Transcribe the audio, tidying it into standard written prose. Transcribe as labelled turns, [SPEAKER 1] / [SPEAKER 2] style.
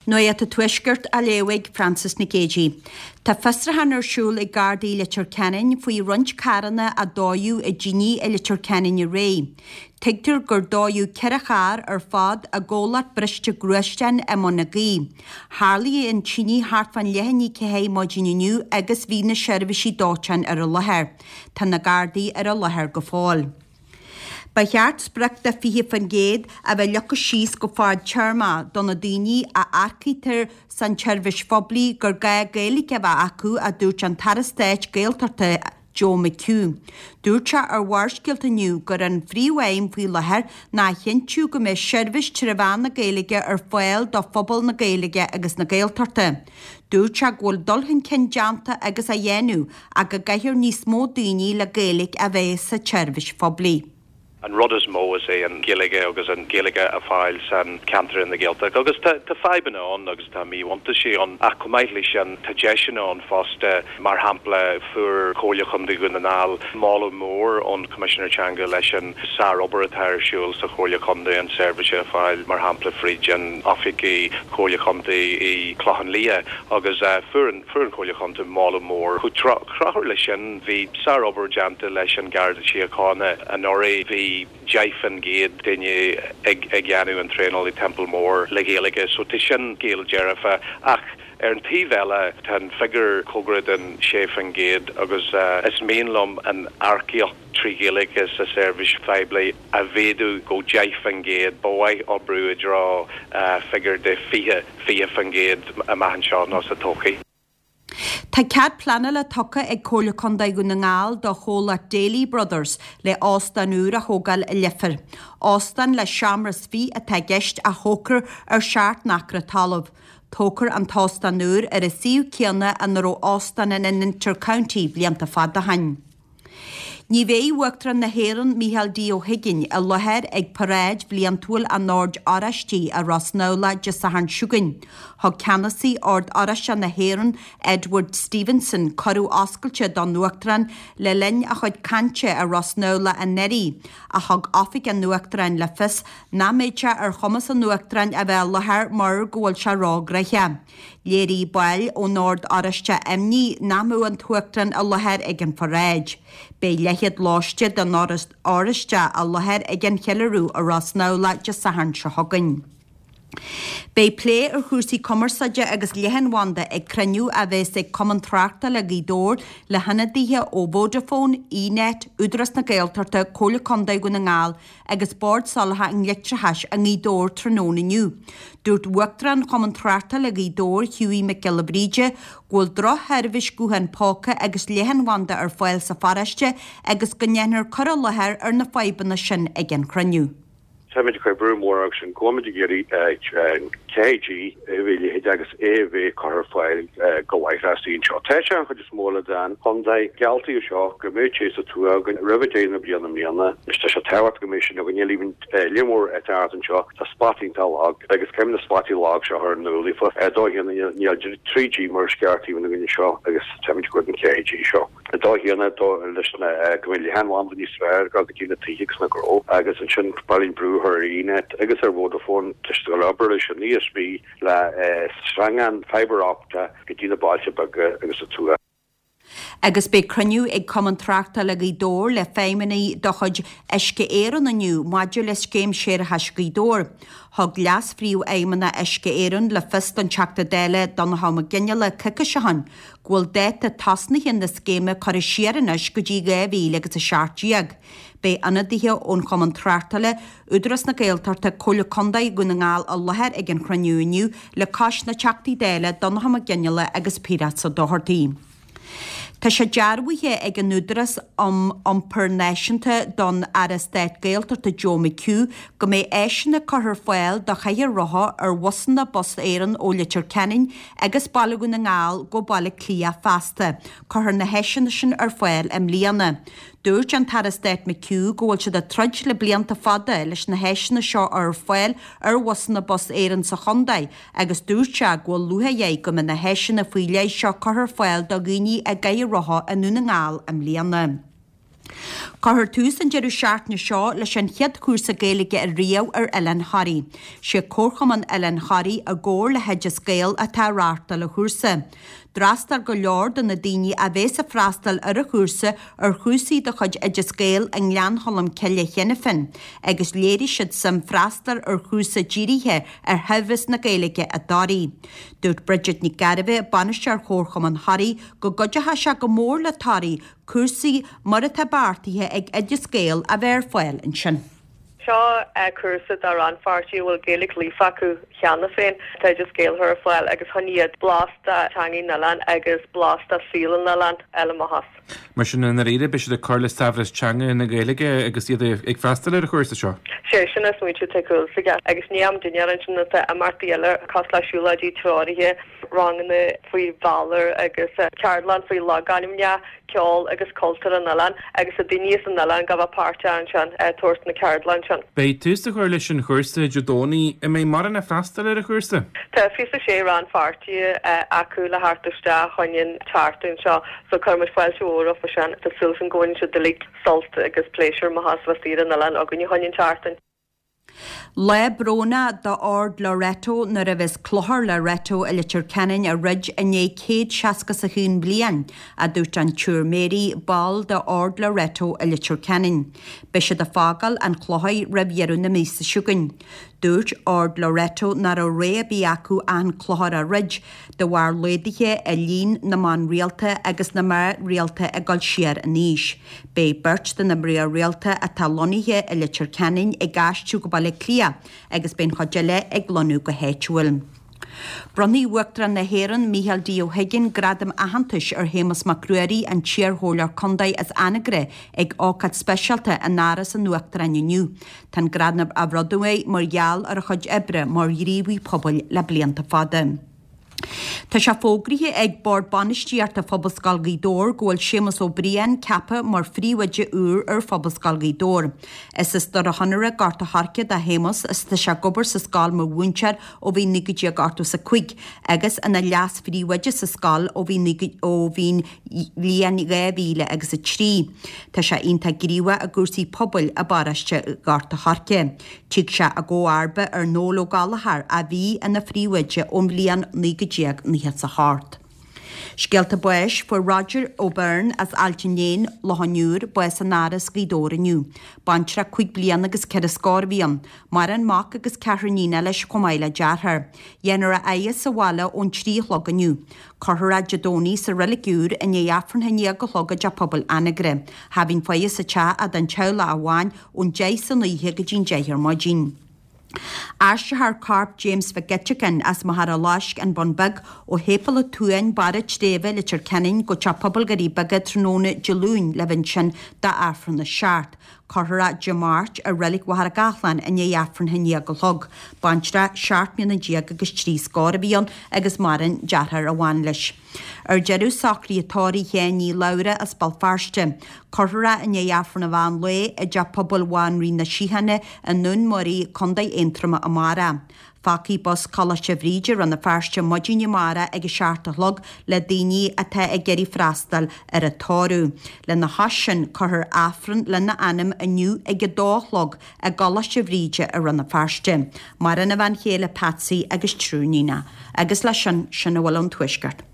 [SPEAKER 1] Nuacht an Tuaiscirt á léamh ag Frances Nic Géadaigh. Tá fiosrúchán ar siúl ag Gardaí Leitir Ceanainn faoi roinnt carranna a dódh i dtine i Leitir Ceanainn aréir. Tuigtear gur dódh 4 charr ar fad i gcomhlacht briste gluaisteán i mBun na Gaoithe. Tharlaigh an tine thart fán leath i ndiaidh 4 maidin inniu agus bhí na seirbhísí dóiteáin ar an láthair. Tá na Gardaí ar an láthair go fóill. Ba cheart sprioc de 20% a bheith leagtha síos go fadtéarmach do na daoine a earcaítear san tseirbhís phoiblí gur gá Gaeilge a bheith acu, a dúirt an tAire Stáit Gaeltachta Joe McHugh. Dúirt sé ar Bharrscéalta inniu gur an phríomhaidhm faoi láthair ná a chinntiú go mbeidh seirbhís tré mheán na Gaeilge ar fáil do phobal na Gaeilge agus na Gaeltachta. Dúirt sé go bhfuil dul chun cinn déanta agus á dhéanamh ach go gcaithfear níos mó daoine le Gaeilge a bheith sa tseirbhís phoiblí.
[SPEAKER 2] An rud is mó is é an Ghaeilge agus an Ghaeilge a fáil san ceantar in the Gaeltacht agus tá tá fadhbanna ann agus tá míbhuntáistí ann ach chomh maith leis sin tá deiseanna ann fosta. Mar shampla fuair Comhairle Chontae Dhún na nGall moladh mór ón Choimisinéir Teanga leis an sár-obair atá ar siúl sa Chomhairle Chontae an seirbhís a fáil mar shampla fríd an oifigí Chomhairle Chontae i Clochán Liath agus fuair an fuair an Chomhairle Chontae moladh mór. Chomh tráthúil leis sin bhí sár-obair déanta leis an Garda Síochána anuraidh. Bhí 10% duine ag ag dhéanamh an traenáil i Templemore le Gaeilge so tá sin scéal dearfa ach ar an taobh eile tá an figiúr cóngarach don 6% agus is mian liom an earcaíocht 3 Ghaeilge sa seirbhís phoiblí a mhéadú go 10%. Ba mhaith oibriú i dtreo figiúr de 20, 20% amach anseo nó sa todhchaí.
[SPEAKER 1] Tá cead pleanála tugtha ag Comhairle Contae Dhún na nGall do chomhlacht Daly Brothers le óstán úr a thógáil i Leifear. Óstán le seomra is fi atá i gceist a thógfar ar sheacht n-acra talaimh. Tógfar an t-óstán úr ar an suíomh céanna ina raibh óstán an Inter-County blianta fada ó shin. Ní bheidh Uachtarán na hÉireann Micheál D Ó hUiginn i láthair ag paráid bhliantúil an Oird Oráistigh i Ros nAmhlaigh Dé Sathairn seo chugainn. Thug Ceannasaí Ord Oráisteach na hÉireann Edward Stevenson cuireadh oscailte don Uachtarán le linn a chuid cainte i Ros nAmhlaigh anuraidh ach thug Oifig an Uachtaráin le fios nach mbeidh sé ar chumas an Uachtaráin a bheith i láthair mar go bhfuil sé róghnoitheach. Léirigh baill ón Ord Oráisteach imní nach mbeadh an tUachtarán i láthair ag an pharáid. Beidh leathchéad lóiste den Ord Oráisteach i láthair ag an cheiliúradh i Ros nAmhlaigh Dé Sathairn seo chugainn. Beidh plé ar chúrsaí cumarsáide agus leathanbhanda ag cruinniú a bheas ag Cumann Tráchtála Ghaoth Dobhair le hionadaithe ó Vodafone, eNet, Údarás na Gaeltachta, Comhairle Contae Dhún na nGall agus Bord Soláthair an Leictreachais i nGaoth Dobhair tráthnóna inniu. Dúirt Uachtarán Chumann Tráchtála Ghaoth Dobhair, Hughie Mac Giolla Bhríde, go bhfuil drochsheirbhís guthán póca agus leathanbhanda ar fáil sa pharóiste agus go ndéanfar cur i láthair ar na fadhbanna sin ag an chruinniú.
[SPEAKER 3] Táimid ag cur brú mór agus sin go bhfuilimid ag iarraidh 4G a bheith leithéid agus é a bheith curtha ar fáil go láithreach istigh anseo. Tá sé an chuid is mó eile den chontae. Gealltaíodh seo go mbeadh sé sa tuath againn roimh deireadh na bliana i mbliana. Anois tá sé tábhachtach go mbeidh sin againn. Níl líon mór áit ard anseo. Tá spotaí iontach lag agus caithfidh na spotaí lag seo a chur in iúl daofa. Ar dóigh chéanna níl 3G mar is ceart taobh againn anseo agus táimid ag cur an 4G seo. Ar dóigh chéanna leis na go mbeidh leathanbhanda níos fearr ag dul go dtí na tithe agus na gnó agus ansin ba mhaith linn brú a chur ar eNet agus ar Vodafone tá siad ag obair leis an ESB le sreangán fibre optic go dtí na bailte beaga agus an tuath.
[SPEAKER 1] Agus beidh cruinniú ag Cumann Tráchtála Ghaoth Dobhair le feidhmeannaigh de chuid Uisce Éireann inniu maidir le Scéim Séarachais Ghaoth Dobhair. Thug Leas-Phríomhfheidhmeannach Uisce Éireann le fios don Teachta Dála Donnchadh Mac Fhionnghaile coicís ó shin go bhfuil dáta tosnaithe na scéime curtha siar anois go dtí 2017. Beidh ionadaithe ón Chumann Tráchtála, Údarás na Gaeltachta, Comhairle Contae Dhún na nGall i láthair ag an chruinniú inniu le cois na Teachtaí Dála Donnchadh Mac Fhionnghaile agus Piaras Ó Dochartaigh. Tá sé dearbhaithe ag an Údarás um Iompar Náisiúnta don Aire Stáit Gaeltachta Joe McHugh go mbeidh áiseanna curtha ar fáil do chathaoir rotha ar bhusanna Bus Éireann ó Leitir Ceanainn agus Baile Dhún na nGall go Baile Átha Cliath feasta. Cuirfear na háiseanna sin ar fáil i mbliana. Dúirt an tAire Stáit McHugh go bhfuil siad ag troid le blianta fada leis na háiseanna seo a chur ar fáil ar bhusanna Bus Éireann sa chontae agus dúirt sé go bhfuil lúcháir air go mbeidh na háiseanna faoi leith seo curtha ar fáil do dhaoine i gcathaoir rotha i nDún na nGall i mbliana. Cuirfear tús an deireadh seachtaine seo leis an chéad chúrsa Gaeilge ariamh ar Oileán Thoraí. Sé Comharchumann Oileán Thoraí i gcomhar le hOideas Gael atá ag reáchtáil an chúrsa. D'fhreastail go leor de na daoine a bhéas ag freastal ar an chúrsa ar chúrsaí de chuid Oideas Gael i nGleann Cholm Cille cheana féin agus léirigh siad suim freastal ar chúrsa dírithe ar shaibhreas na Gaeilge i dToraigh. Dúirt Bridget Nic Gairbheith, Bainisteoir Chomharchumann Thoraí, go gcuideoidh sé go mór le Toraigh cúrsaí mar atá beartaithe ag Oideas Gael a bheith ar fáil ansin.
[SPEAKER 4] Seo cúrsa do rannpháirtithe a bhfuil Gaeilge líofa acu cheana féin. Tá Oideas Gael a chur ar fáil agus chun iad blas de teangaidh na n-oileán agus blas de saol an oileáin a fháil amach as.
[SPEAKER 5] Mar sin, i ndáiríre, beidh siad ag cur le saibhreas teanga na Gaeilge agus iad ag freastal ar an chúrsa seo.
[SPEAKER 4] Sé sin an smaointiú atá ag cúl agus ní am dinnéar ansin atá imeachtaí eile cosúil le siúlóidí treoraithe, ranganna faoi Bhalor agus ceardlann faoi logainmneacha, ceol agus cultúr an oileáin agus tá daoine as an oileán ag bheith páirteach ansin ag tabhairt na ceardlann sin.
[SPEAKER 5] Beidh tús á chur leis an chúrsa Dé Domhnaigh. An mbeidh mórán ag freastal ar an chúrsa?
[SPEAKER 4] Tá 26 rannpháirtí acu le theacht isteach chun an tseachtain seo so cuireann muid fáilte mhór rompu sin. Tá súil againn go bhaineann siad uilig sult agus pléisiúr amach as bheith saor ar an oileán againne chun an tseachtain.
[SPEAKER 1] Lá brónach d'Ord Loreto nuair a bheas Clochar Loreto i Leitir Ceanainn á dhruid i ndiaidh 161 bliain, a dúirt an tSiúr Mary, ball d'Ord Loreto i Leitir Ceanainn. Beidh siad ag fágáil an chlochair roimh dheireadh na míosa seo chugainn. Dúirt Ord Loreto nach raibh rogha ar bith acu ach an clochar a dhruid, de bharr laghduithe i líon na mban rialta agus na mná rialta ag dul siar in aois. Beidh beirt de na mná rialta atá lonnaithe i Leitir Ceanainn ag aistriú go Baile Átha Cliath agus beidh an chuid eile ag lonnú go háitiúil. Bronnfaidh Uachtarán na hÉireann, Micheál D. Ó hUiginn, gradam aitheantais ar Shéamus Mac Ruairí, an t-iarchomhairleoir contae as Anagaire, ag ócáid speisialta in Áras an Uachtaráin inniu. Tá an gradam á bhronnadh air mar gheall ar a chuid oibre mar ghníomhaí pobail le blianta fada. Tá sé fógraithe ag Bord Bainistíochta Phobalscoil Ghaoth Dobhair go bhfuil Séamus Ó Briain ceaptha mar phríomhoide úr ar Phobalscoil Ghaoth Dobhair. Is as Doire Chonaire, Gort a' Choirce do Shéamus is tá sé ag obair sa scoil mar mhúinteoir ó bhí 1985 agus ina leas-phríomhoide sa scoil ó bhí ó bhí'n bhliain 2000 agus 3. Tá sé iontach gníomhach i gcúrsaí pobail i bparóiste Ghort a' Choirce. Tig sé i gcomharba ar Noel Ó Gallchóir a bhí ina phríomhoide ón bhliain 1998. Scéalta báis, Fuair Roger O'Byrne as Ailt an Léin, Loch an Iúir, bás in Áras Ghaoth Dobhair inniu. Baintreach 5 bliana agus 4 scór a bhí ann. Maireann mac agus ceathrar iníon leis chomh maith le deartháir. Dhéanfar a fhaire sa bhaile ón 3 a chlog inniu. Cuirfear é Dé Domhnaigh sa Reilig Úr i ndiaidh Aifreann a 11 a chlog i dTeach Pobail Anagaire. Cha bhíonn faire sa teach ach don teaghlach amháin ón 10 san oíche go dtí'n 10 ar maidin. Aistreofar corp James Mhic Eiteacáin as Machaire Loisc, An Bun Beag, ó Shéipéal an tSuain, Barr an tSléibhe, Leitir Ceanainn, go Teach Pobail Dhoirí Beaga tráthnóna Dé Luain le bheith ansin d'Aifreann a 7. Cuirfear é Dé Máirt i Reilig Mhachaire Gathlán i ndiaidh Aifreann a 11 a chlog. Baintreach 17 mbliana agus 3 scór a bhí ann agus maireann deartháir amháin leis. Ar deireadh, socruithe tórraimh Sheáin Ní Labhra as Béal Feirste. Cuirfear é i ndiaidh Aifreann an mheán lae i dTeach Pobail Bhanríon na Síochána i nDún Muirí, Co. Aontroma amárach. Fágfaidh bus Choláiste Bhríde Rann na Feirste maidin amárach ag a 7 a chlog le daoine atá ag iarraidh freastal ar an tórramh. Lena chois sin, cuirfear Aifreann lena anam inniu ag a dó a chlog i gColáiste Bhríde i Rann na Feirste. Maireann a bhean chéile Patsy agus triúr níonacha. Agus leis sin, sin a bhfuil ón Tuaisceart.